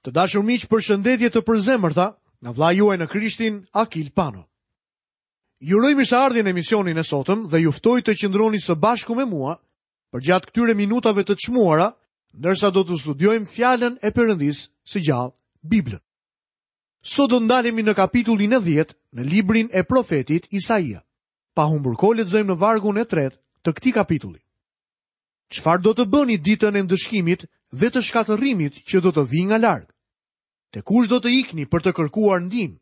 Të dashur miq, përshëndetje të përzemërta nga vëllai juaj në Krishtin, Akil Pano. Ju uroj mirëseardhje në emisionin e sotëm dhe ju ftoj të qëndroni së bashku me mua përgjatë këtyre minutave të çmuara, ndërsa do të studiojmë fjalën e Perëndisë së gjallë, Biblën. Sot do të ndalemi në kapitullin e 10 në librin e profetit Isaia. Pa humbur kohë lexojmë në vargun e tretë të këtij kapitulli. Çfarë do të bëni ditën e ndëshkimit dhe të shkatërrimit që do të vijë nga larg? Te kush do të ikni për të kërkuar ndihmë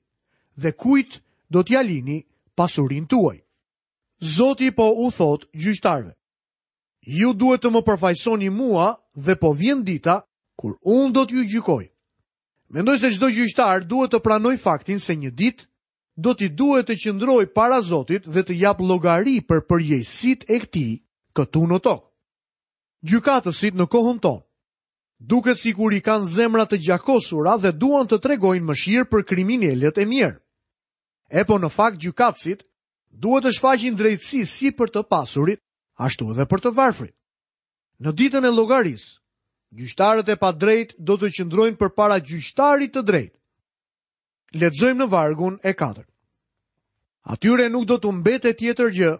dhe kujt do t'ia lini pasurinë tuaj? Zoti po u thotë gjyqtarëve: Ju duhet të më përfaqësoni mua dhe po vjen dita kur unë do t'ju gjykoj. Mendoj se çdo gjyqtar duhet të pranojë faktin se një ditë do t'i duhet të qëndrojë para Zotit dhe të japë llogari për përgjegjësitë e tij këtu në tokë. Gjykatësit në kohën tonë duket sikur i kanë zemrat të gjakosura dhe duan të tregojnë mëshirë për kriminelët e mjerë. Epo në fakt gjykatësit duhet të shfaqin drejtësi si për të pasurit, ashtu edhe për të varfrit. Në ditën e llogarisë, gjyqtarët e padrejtë do të qëndrojnë përpara gjyqtarit të drejtë. Lexojmë në vargun e katërt. Atyre nuk do t'u mbetet tjetër gjë,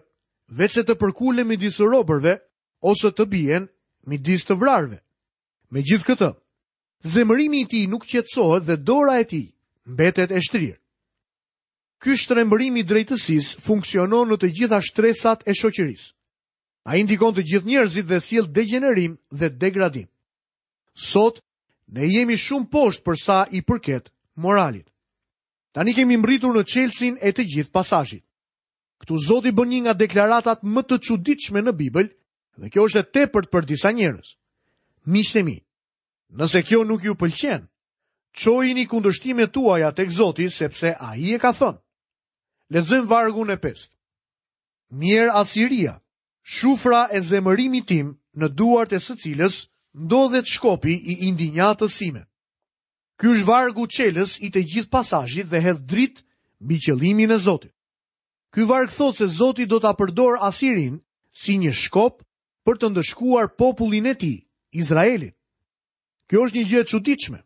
veçse të përkulen midis robërve ose të bien midis të vrarëve. Megjithëkëtë, zemërimi i tij nuk qetësohet dhe dora e tij mbetet e shtrirë. Ky shtrembërim i drejtësisë funksionon në të gjitha shtresat e shoqërisë. Ai ndikon të gjithë njerëzit dhe sjell degjenerim dhe degradim. Sot Ne jemi shumë poshtë për sa i përket moralit. Tani kemi mbërritur në çelësin e të gjithë pasazhit. Këtu Zoti bën një nga deklaratat më të çuditshme në Bibël dhe kjo është e tepërt për disa njerëz. Miqtë e mi, nëse kjo nuk ju pëlqen, çojini kundërshtimet tuaja tek Zoti sepse ai e ka thënë. Lexojmë vargun e pestë. Mjerë Asiria, Shufra e zemërimit tim në duart e së cilës ndodhet shkopi i indinjatës sime. Ky është vargu çelës i të gjithë pasazhit dhe hedh dritë mbi qëllimin e Zotit. Ky varg thotë se Zoti do ta përdorë Asirinë si një shkop për të ndëshkuar popullin e tij, Izraelin. Kjo është një gjë e çuditshme.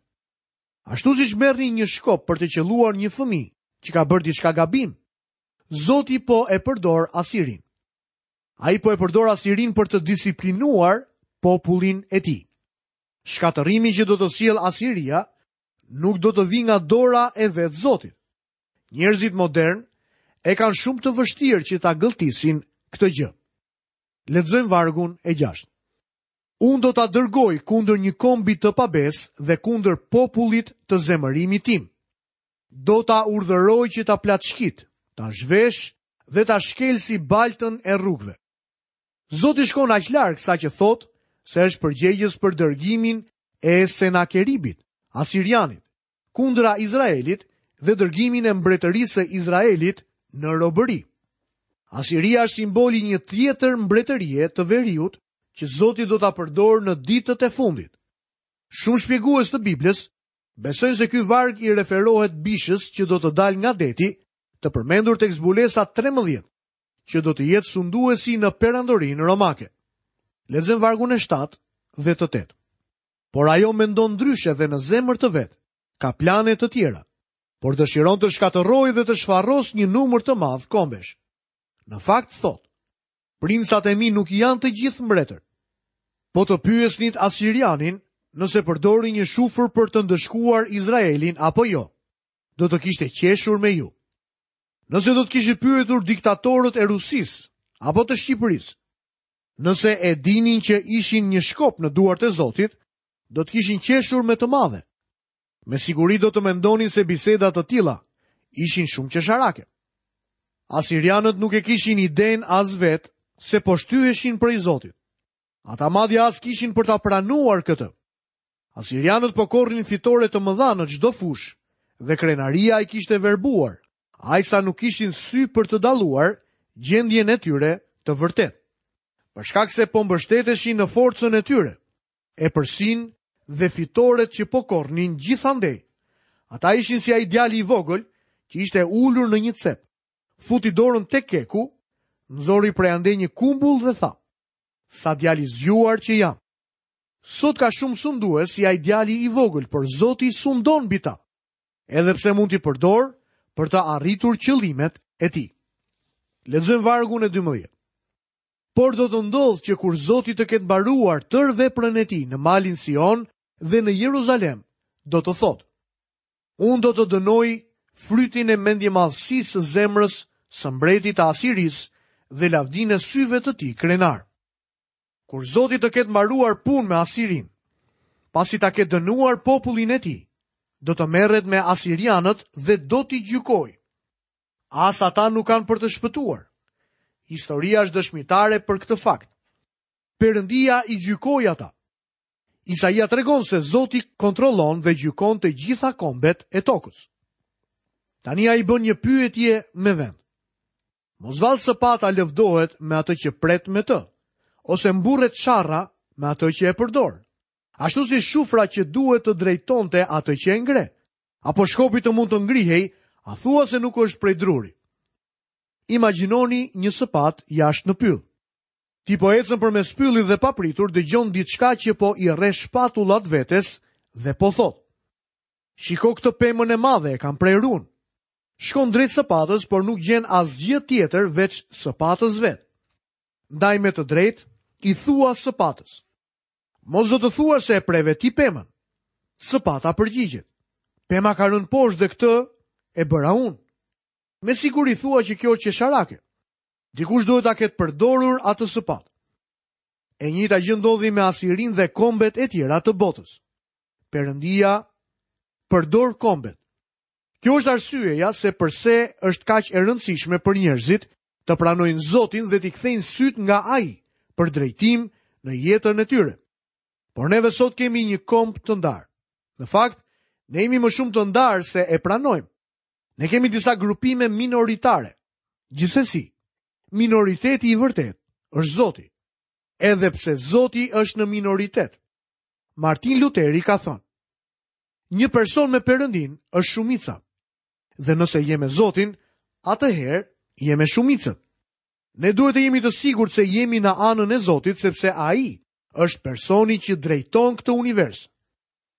Ashtu siç merrni një shkop për të qëlluar një fëmijë që ka bërë diçka gabim, Zoti po e përdor Asirinë. Ai po e përdor Asirinë për të disiplinuar popullin e tij. Shkatërrimi që do të sjellë Asiria nuk do të vijë nga dora e vetë Zotit. Njerëzit modernë e kanë shumë të vështirë që ta gëlltisin këtë gjë. Lexojmë vargun e gjashtë. Unë do ta dërgoj kundër një kombi të pabesë dhe kundër popullit të zemërimit tim. Do ta urdhëroj që ta plaçkitë, ta zhveshë dhe ta shkelë si baltën e rrugëve. Zoti shkon aq larg saqë thotë se është përgjegjës për dërgimin e Senakeribit, Asirianit, kundra Izraelit dhe dërgimin e mbretërisë së Izraelit në robëri. Asiria është simboli i një tjetër mbretërie të veriut që Zoti do ta përdorë në ditët e fundit. Shumë shpjegues të Biblës Besojnë se ky varg i referohet bishës që do të dalë nga deti, të përmendur tek Zbulesa 13, që do të jetë sunduesi në perandorinë romake. Lexojmë vargun e 7 dhe të 8. Por ajo mendon ndryshe dhe në zemër të vet, ka plane të tjera, por dëshiron të shkatërrojë dhe të shfarosë një numër të madh kombesh. Në fakt thotë, Princat e mi nuk janë të gjithë mbretër. Po të pyesnit Asirianin nëse përdori një shufër për të ndëshkuar Izraelin apo jo, do të kishte qeshur me ju. Nëse do të kishit pyetur diktatorët e Rusisë apo të Shqipërisë, nëse e dinin që ishin një shkop në duart e Zotit, do të kishin qeshur me të madhe. Me siguri do të mendonin se biseda të tilla ishin shumë qesharake. Asirianët nuk e kishin idenë as vetë se po shtyheshin prej Zotit. Ata madje as kishin për ta pranuar këtë. Asirianët po korrnin fitore të mëdha në çdo fushë dhe krenaria i kishte verbuar, aq sa nuk kishin sy për të dalluar gjendjen e tyre të vërtetë. Për shkak se po mbështeteshin në forcën e tyre, epërsinë dhe fitoret që po korrnin gjithandej. Ata ishin si ai djali i vogël që ishte ulur në një cep. Futi dorën tek keku, nxori prej andej një kumbull dhe tha: "Sa djalë i zgjuar që jam." Sot ka shumë sundues si ai djali i vogël, por Zoti sundon mbi ta. Edhe pse mund t'i përdorë për të arritur qëllimet e tij. Lexojmë vargun e 12. Por do të ndodhë që kur Zoti të ketë mbaruar tërë veprën e tij në malin Sion dhe në Jeruzalem, do të thotë: Unë do të dënoj frytin e mendjemadhësisë së zemrës së mbretit të Asirisë dhe lavdinë e syve të tij krenarë. Kur Zoti të ketë mbaruar punë me Asirinë, pasi ta ketë dënuar popullin e tij, do të merret me asirianët dhe do t'i gjykojë. As ata nuk kanë për të shpëtuar. Historia është dëshmitare për këtë fakt. Perëndia i gjykoi ata. Isaia tregon se Zoti kontrollon dhe gjykon të gjitha kombet e tokës. Tani ai bën një pyetje me vend. Mos vallë sëpata lëvdohet me atë që pret me të, ose mburret sharra me atë që e përdor. Ashtu si shufra që duhet të drejtonte atë që e ngre, apo shkopi të mund të ngrihej, a thua se nuk është prej druri. Imagjinoni një sëpatë jashtë në pyll. Ti po ecën përmes pyllit dhe papritur dëgjon diçka që po i rreh shpatullat vetes dhe po thotë. Shiko këtë pemën e madhe, e kam prerë unë. Shkon drejt sëpatës, por nuk gjen asgjë tjetër veç sëpatës vetë. Ndaj me të drejtë i thua sëpatës. Mos do të thuash se e preve ti pemën. Sëpata përgjigjet. Pema ka rënë poshtë dhe këtë e bëra unë. Me siguri thua që kjo është qesharake. Dikush duhet ta ketë përdorur atë sëpatë. E njëjta gjë ndodhi me Asirinë dhe kombet e tjera të botës. Perëndia përdor kombet. Kjo është arsyeja se përse është kaq e rëndësishme për njerëzit të pranojnë Zotin dhe t'i kthejnë sytë nga Ai për drejtim në jetën e tyre. Por neve sot kemi një komb të ndarë. Në fakt, ne jemi më shumë të ndarë se e pranojmë. Ne kemi disa grupime minoritare. Gjithsesi, minoriteti i vërtetë është Zoti. Edhe pse Zoti është në minoritet. Martin Luteri ka thënë: Një person me Perëndinë është shumica. Dhe nëse je me Zotin, atëherë je me shumicën. Ne duhet të jemi të sigurt se jemi në anën e Zotit sepse ai është personi që drejton këtë univers.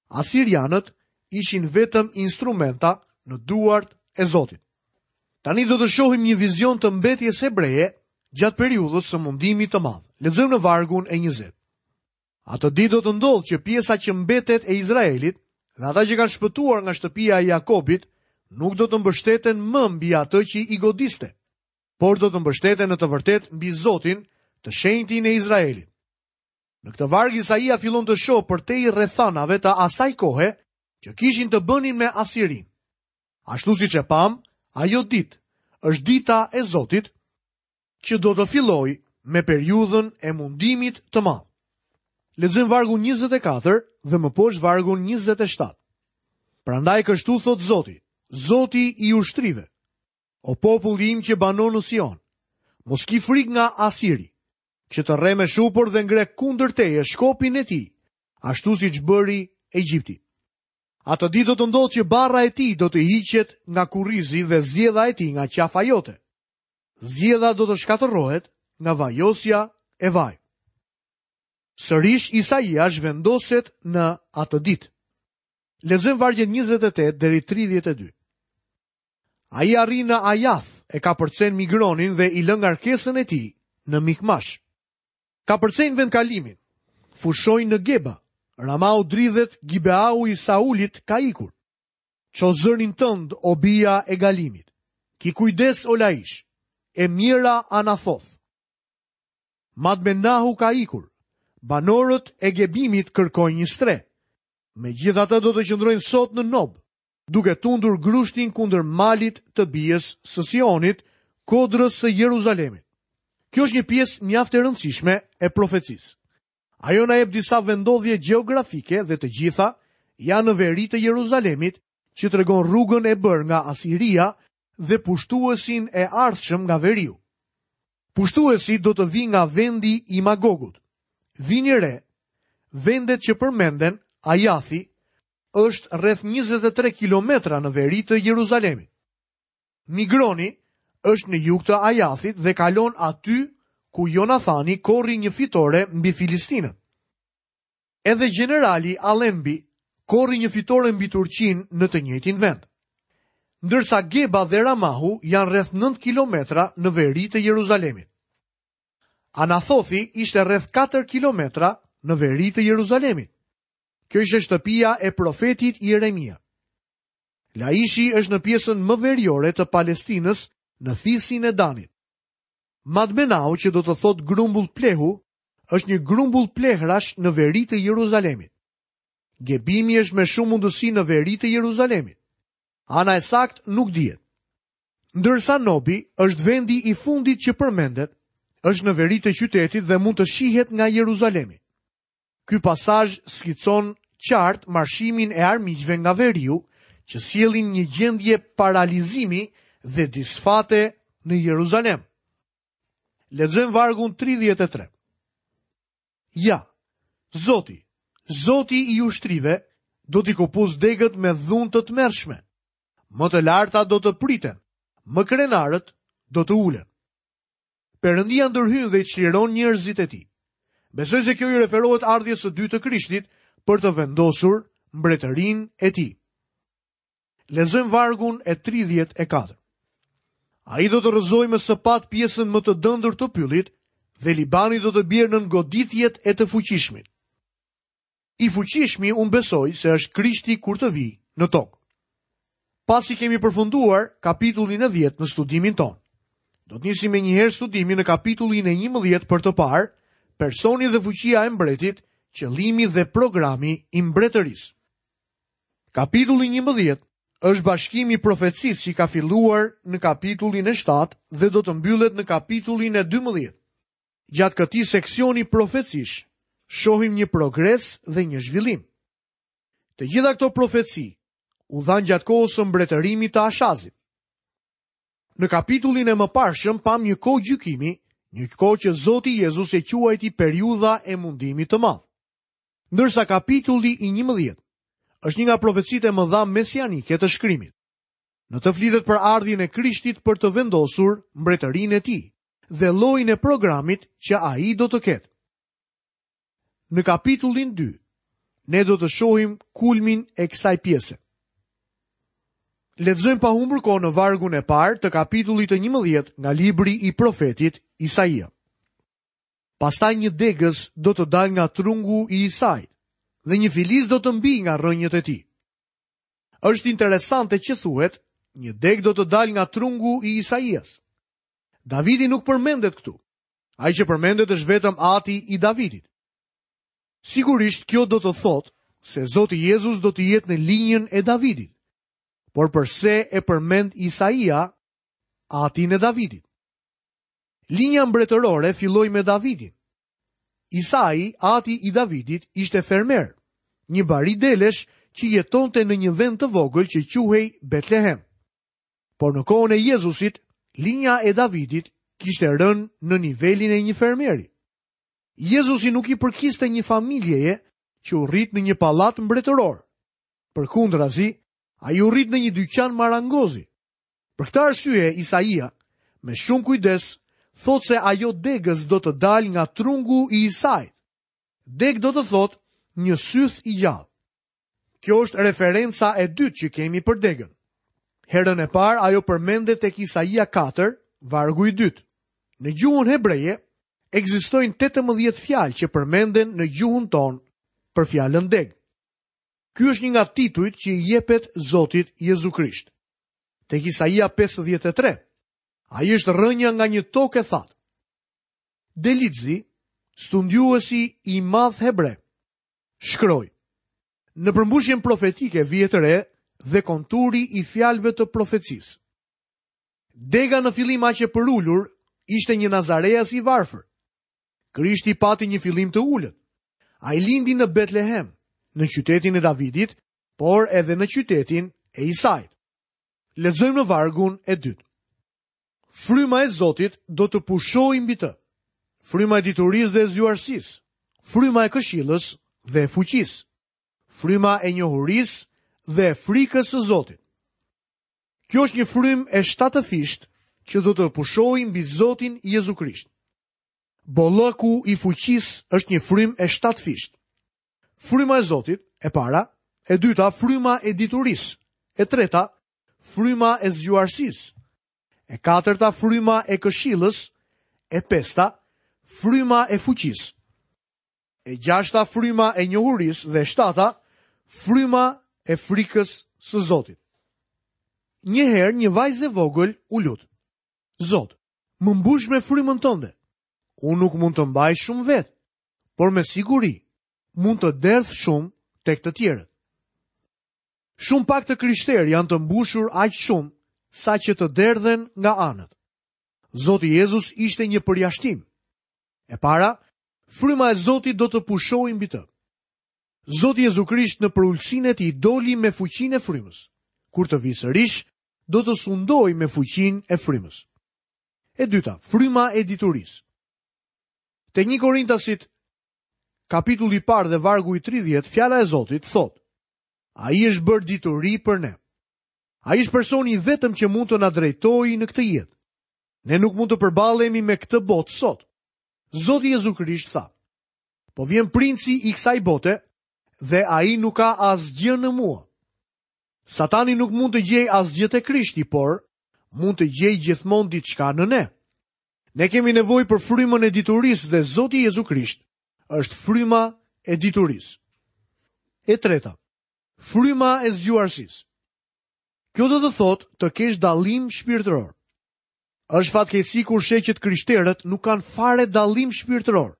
Asirianët ishin vetëm instrumenta në duart e Zotit. Tani do të shohim një vizion të mbetjes hebreje gjatë periudhës së mundimit të madh. Lexojmë në vargun e 20. Atë ditë do të ndodhë që pjesa që mbetet e Izraelit dhe ata që kanë shpëtuar nga shtëpia e Jakobit nuk do të mbështeten më mbi atë që i godiste, por do të mbështeten në të vërtetë mbi Zotin, të shenjtin e Izraelit. Në këtë varg Isaia fillon të shohë përtej rrethanave të asaj kohe që kishin të bënin me Asirinë. Ashtu siç e pamë, ajo ditë është dita e Zotit që do të fillojë me periudhën e mundimit të madh. Lexojmë vargun 24 dhe më poshtë vargun 27. Prandaj kështu thotë Zoti, Zoti i ushtrive, o populli im që banon në Sion, mos ki frikë nga Asiri, që të rreh me shupër dhe ngre kundër teje shkopin e tij, ashtu siç bëri Egjipti. Atë ditë do të ndodhë që barra e tij do të hiqet nga kurrizi dhe zgjedha e tij nga qafa jote. Zgjedha do të shkatërrohet nga vajosja e vajit. Sërish Isaia zhvendoset në atë ditë. Lexojmë vargjet 28 deri 32. Ai arrin në Ajath, e kapërcen Migronin dhe i lë ngarkesën e tij në Mikmash. Kapërcejnë vendkalimin, fushojnë në Geba, Ramau dridhet, Gibeau i Saulit ka ikur. Ço zërin tënd, o bija e Galimit. Ki kujdes, o Laish, e mjera Anathoth. Madmenahu ka ikur. Banorët e Gebimit kërkojnë një strehë. Megjithatë do të qëndrojnë sot në Nob, duke tundur grushtin kundër malit të bijës së Sionit, kodrës së Jeruzalemit. Kjo është një pjesë mjaft e rëndësishme e profecisë. Ajo na jep disa vendndodhje gjeografike dhe të gjitha janë në veri të Jeruzalemit, që tregon rrugën e bërë nga Asiria dhe pushtuesin e ardhshëm nga veriu. Pushtuesi do të vijë nga vendi i Magogut. Vini re, vendet që përmenden, Ajathi, është rreth 23 kilometra në veri të Jeruzalemit. Migroni është në jug të Ajathit dhe kalon aty ku Jonathani korri një fitore mbi filistinët. Edhe gjenerali Allenby korri një fitore mbi Turqinë në të njëjtin vend. Ndërsa Geba dhe Ramahu janë rreth 9 kilometra në veri të Jeruzalemit. Anathothi ishte rreth 4 kilometra në veri të Jeruzalemit. Kjo ishte shtëpia e profetit Jeremia. Laishi është në pjesën më veriore të Palestinës në fisin e Danit. Madmenau që do të thotë grumbull plehu, është një grumbull plehrash në veri të Jeruzalemit. Gebimi është me shumë mundësi në veri të Jeruzalemit. Ana e saktë nuk dihet. Ndërsa Nobi është vendi i fundit që përmendet, është në veri të qytetit dhe mund të shihet nga Jeruzalemi. Ky pasazh skicon qartë marshimin e armiqve nga veriu, që sjellin një gjendje paralizimi dhe disfate në Jeruzalem. Lexojmë vargun 33. Ja, Zoti, Zoti i ushtrive, do t'i këpusë degët me dhunë të tmerrshme. Më të lartat do të priten, më krenarët do të ulen. Perëndia ndërhyn dhe i çliron njerëzit e tij. Besoj se kjo i referohet ardhjes së dytë të Krishtit për të vendosur mbretërinë e tij. Lexojmë vargun e 34. Ai do të rrëzojë me sëpatë pjesën më të dëndur të pyllit dhe Libani do të bjerë nën goditjet e të fuqishmit. I fuqishmi unë besoj se është Krishti kur të vijë në tokë. Pasi kemi përfunduar kapitullin e 10 në studimin tonë. Do të nisim menjëherë studimin në kapitullin e 11 për të parë personi dhe fuqia e mbretit, qëllimi dhe programi i mbretërisë. Kapitulli 11 është bashkimi i profecisë që ka filluar në kapitullin e 7 dhe do të mbyllet në kapitullin e 12. Gjatë këtij seksioni profecish, shohim një progres dhe një zhvillim. Të gjitha këto profeci u dhanë gjatë kohës së mbretërimit të Ashazit. Në kapitullin e mëparshëm pamë një kohë gjykimi, një kohë që Zoti Jezus e quajti periudha e mundimit të madh. Ndërsa kapitulli i 11 është një nga profecitë e mëdha mesianike të shkrimit. Në të flitet për ardhjen e Krishtit për të vendosur mbretërinë e tij dhe llojin e programit që ai do të ketë. Në kapitullin 2, ne do të shohim kulmin e kësaj pjese. Lexojmë pa humbur kohë në vargun e parë të kapitullit të 11 nga libri i profetit Isaia. Pastaj një degëz do të dalë nga trungu i Isait dhe një filiz do të mbijë nga rrënjët e tij. Është interesante që thuhet, një degë do të dalë nga trungu i Isaias. Davidi nuk përmendet këtu. Ai që përmendet është vetëm ati i Davidit. Sigurisht kjo do të thotë se Zoti Jezus do të jetë në linjën e Davidit. Por përse e përmend Isaia atin e Davidit? Linja mbretërore filloi me Davidin. Isai, ati i Davidit, ishte fermer, një bari delesh që jetonte në një vend të vogël që quhej Betlehem. Por në kohën e Jezusit, linja e Davidit kishte rënë në nivelin e një fermeri. Jezusi nuk i përkiste një familjeje që u rrit në një pallat mbretëror. Përkundrazi, ai u rrit në një dyqan marangozi. Për këtë arsye, Isaia, me shumë kujdes, thotë se ajo degëz do të dalë nga trungu i Isait. Degë do të thotë një syth i gjallë. Kjo është referenca e dytë që kemi për degën. Herën e parë ajo përmendet tek Isaia 4, vargu i dytë. Në gjuhën hebreje ekzistojnë 18 fjalë që përmenden në gjuhën tonë për fjalën degë. Ky është një nga titujt që i jepet Zotit Jezu Krisht. Tek Isaia 53, ai është rrënja nga një tokë e thatë. Delitzi, studiuesi i madh hebre, shkroi. Në përmbushjen profetike vihet re dhe konturi i fjalëve të profecisë. Dega në fillim aq e përulur ishte një nazareas i varfër. Krishti pati një fillim të ulët. Ai lindi në Betlehem, në qytetin e Davidit, por edhe në qytetin e Isait. Lexojmë në vargun e dytë. Fryma e Zotit do të pushojë mbi të. Fryma e diturisë dhe e zgjuarsisë, fryma e këshillës dhe e fuqisë, fryma e njohurisë dhe e frikës së Zotit. Kjo është një frymë e shtatëfishtë që do të pushojë mbi Zotin Jezu Krisht. Bollëku i fuqisë është një frymë e shtatëfishtë. Fryma e Zotit, e para, e dyta, fryma e diturisë, e treta, fryma e zgjuarsisë, e katërta, fryma e këshillës, e pesta, fryma e fuqisë, e gjashta, fryma e njohurisë dhe e shtata, fryma e frikës së Zotit. Një herë një vajzë e vogël u lut. Zot, më mbush me frymën tënde. Unë nuk mund të mbaj shumë vetë, por me siguri mund të derdh shumë tek të tjerët. Shumë pak të krishterë janë të mbushur aq shumë saqë të derdhen nga anët. Zoti Jezus ishte një përjashtim. E para, fryma e Zotit do të pushojë mbi të. Zoti Jezu Krisht në përulësinë e tij doli me fuqinë e frymës. Kur të vijë sërish, do të sundojë me fuqinë e frymës. E dyta, fryma e diturisë. Te 1 Korintasit, kapitulli i parë dhe vargu i 30, fjala e Zotit thotë, Ai është bërë dituri për ne. Ai është personi i vetëm që mund të na drejtojë në këtë jetë. Ne nuk mund të përballemi me këtë botë sot. Zoti Jezu Krisht tha, po vjen princi i kësaj bote dhe ai nuk ka asgjë në mua. Satani nuk mund të gjejë asgjë te Krishti, por mund të gjejë gjithmonë diçka në ne. Ne kemi nevojë për frymën e diturisë dhe Zoti Jezu Krisht është fryma e diturisë. E treta, fryma e zgjuarsisë. Kjo do të thotë të kesh dallim shpirtëror. Është fatkeqësi kur sheh që të krishterët nuk kanë fare dallim shpirtëror.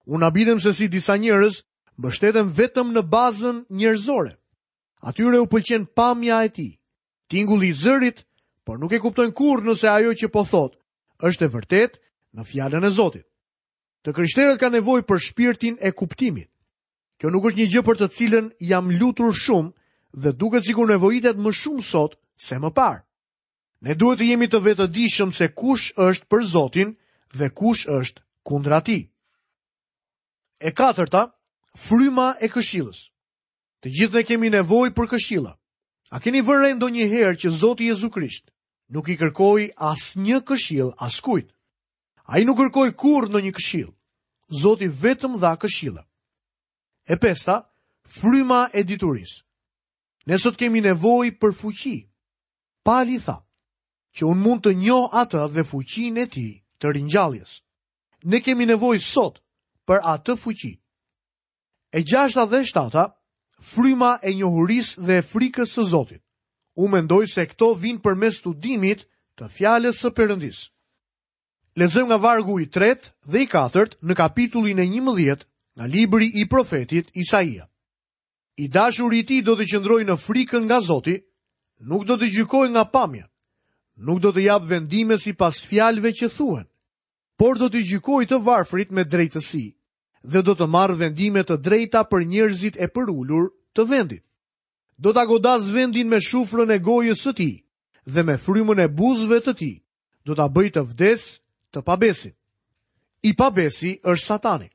Unë habitem se si disa njerëz mbështeten vetëm në bazën njerëzore. Atyre u pëlqen pamja e tij, tingulli i zërit, por nuk e kuptojnë kurrë nëse ajo që po thotë është e vërtetë në fjalën e Zotit. Të krishterët kanë nevojë për shpirtin e kuptimit. Kjo nuk është një gjë për të cilën jam lutur shumë dhe duket sikur nevojitet më shumë sot se më parë. Ne duhet të jemi të vetëdijshëm se kush është për Zotin dhe kush është kundra tij. E katërta, fryma e këshillës. Të gjithë ne kemi nevojë për këshilla. A keni vënë re ndonjëherë që Zoti Jezu Krisht nuk i kërkoi asnjë këshillë askujt? Ai nuk kërkoi kurrë ndonjë këshillë. Zoti vetëm dha këshilla. E pesta, fryma e diturisë. Ne sot kemi nevojë për fuqi. Pali tha, që unë mund të njoh atë dhe fuqinë e tij të ringjalljes. Ne kemi nevojë sot për atë fuqi. E gjashta dhe e shtata, fryma e njohurisë dhe e frikës së Zotit. Unë mendoj se këto vijnë përmes studimit të fjalës së Perëndisë. Lexojmë nga vargu i tretë dhe i katërt në kapitullin e 11 nga libri i profetit Isaia. I dashuri i tij do të qëndrojë në frikën nga Zoti, nuk do të gjykojë nga pamja, nuk do të japë vendime sipas fjalëve që thuhen, por do të gjykojë të varfrit me drejtësi dhe do të marrë vendime të drejta për njerëzit e përulur të vendit. Do ta godasë vendin me shufrën e gojës së tij dhe me frymën e buzëve të tij, do ta bëjë të vdesë të pabesin. I pabesi është Satani.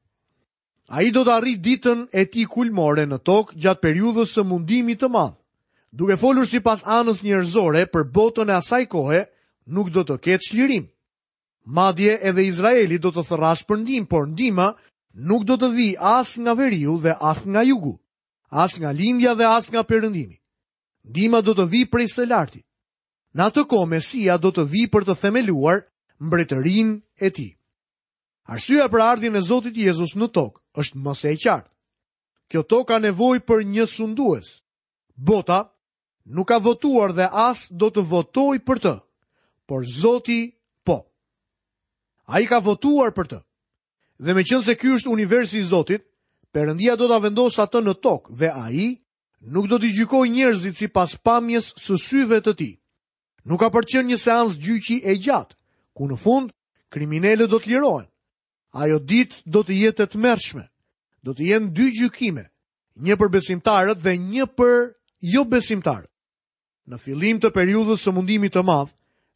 Ai do të arrijë ditën e tij kulmore në tokë gjatë periudhës së mundimit të madh. Duke folur sipas anës njerëzore për botën e asaj kohe, nuk do të ketë çlirim. Madje edhe Izraeli do të thërrasë për ndihmë, por ndihma nuk do të vijë as nga veriu dhe as nga jugu, as nga lindja dhe as nga perëndimi. Ndihma do të vijë prej së larti. Në atë kohë Mesia do të vijë për të themeluar mbretërinë e tij. Arsyeja për ardhjen e Zotit Jezus në tokë është më se e qartë. Kjo tokë ka nevojë për një sundues. Bota nuk ka votuar dhe as do të votojë për të, por Zoti po. Ai ka votuar për të. Dhe meqenëse ky është universi i Zotit, Perëndia do ta vendosë atë në tokë dhe ai nuk do t'i gjykojë njerëzit sipas pamjes së syve të tij. Nuk ka për të qenë një seancë gjyqi e gjatë, ku në fund kriminelët do të lirohen. Ajo ditë do të jetë e tmerrshme. Do të jenë dy gjykime, një për besimtarët dhe një për jobesimtarët. Në fillim të periudhës së mundimit të madh,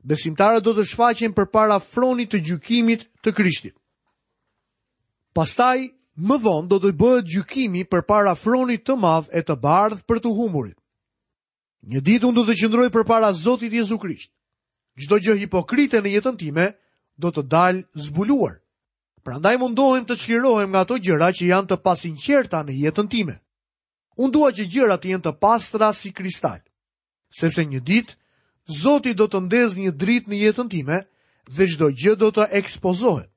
besimtarët do të shfaqen përpara fronit të gjykimit të Krishtit. Pastaj, më vonë do të bëhet gjykimi përpara fronit të madh e të bardhë për të humburit. Një ditë unë do të qëndroj përpara Zotit Jezu Krisht. Çdo gjë hipokrite në jetën time do të dalë zbuluar. Prandaj mundohem të çlirohem nga ato gjëra që janë të pasinqerta në jetën time. Unë dua që gjërat të jenë të pastra si kristal. Sepse një ditë Zoti do të ndezë një dritë në jetën time dhe çdo gjë do të ekspozohet.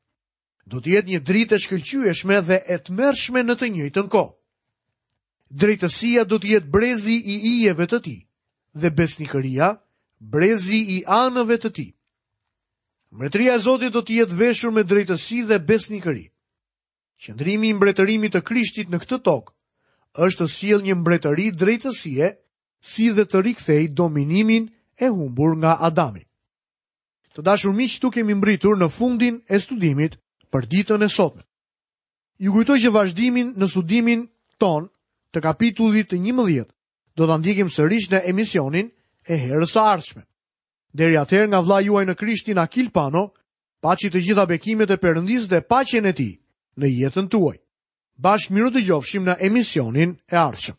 Do të jetë një dritë e shkëlqyeshme dhe e tmerrshme në të njëjtën kohë. Drejtësia do të jetë brezi i ijeve të tij dhe besnikëria brezi i anëve të tij. Mbretëria e Zotit do të jetë veshur me drejtësi dhe besnikëri. Qëndrimi i mbretërimit të Krishtit në këtë tokë është të sjellë një mbretëri drejtësie si dhe të rikthejë dominimin e humbur nga Adami. Të dashur miq, këtu kemi mbërritur në fundin e studimit për ditën e sotme. Ju kujtoj që vazhdimin në studimin tonë të kapitullit të 11 do ta ndjekim sërish në emisionin e herës së ardhshme. Deri atëherë nga vëllai juaj në Krishtin Akil Pano, paçi të gjitha bekimet e Perëndisë dhe paqen e tij në jetën tuaj. Bashkë mirudëgjofshim në emisionin e ardhshëm.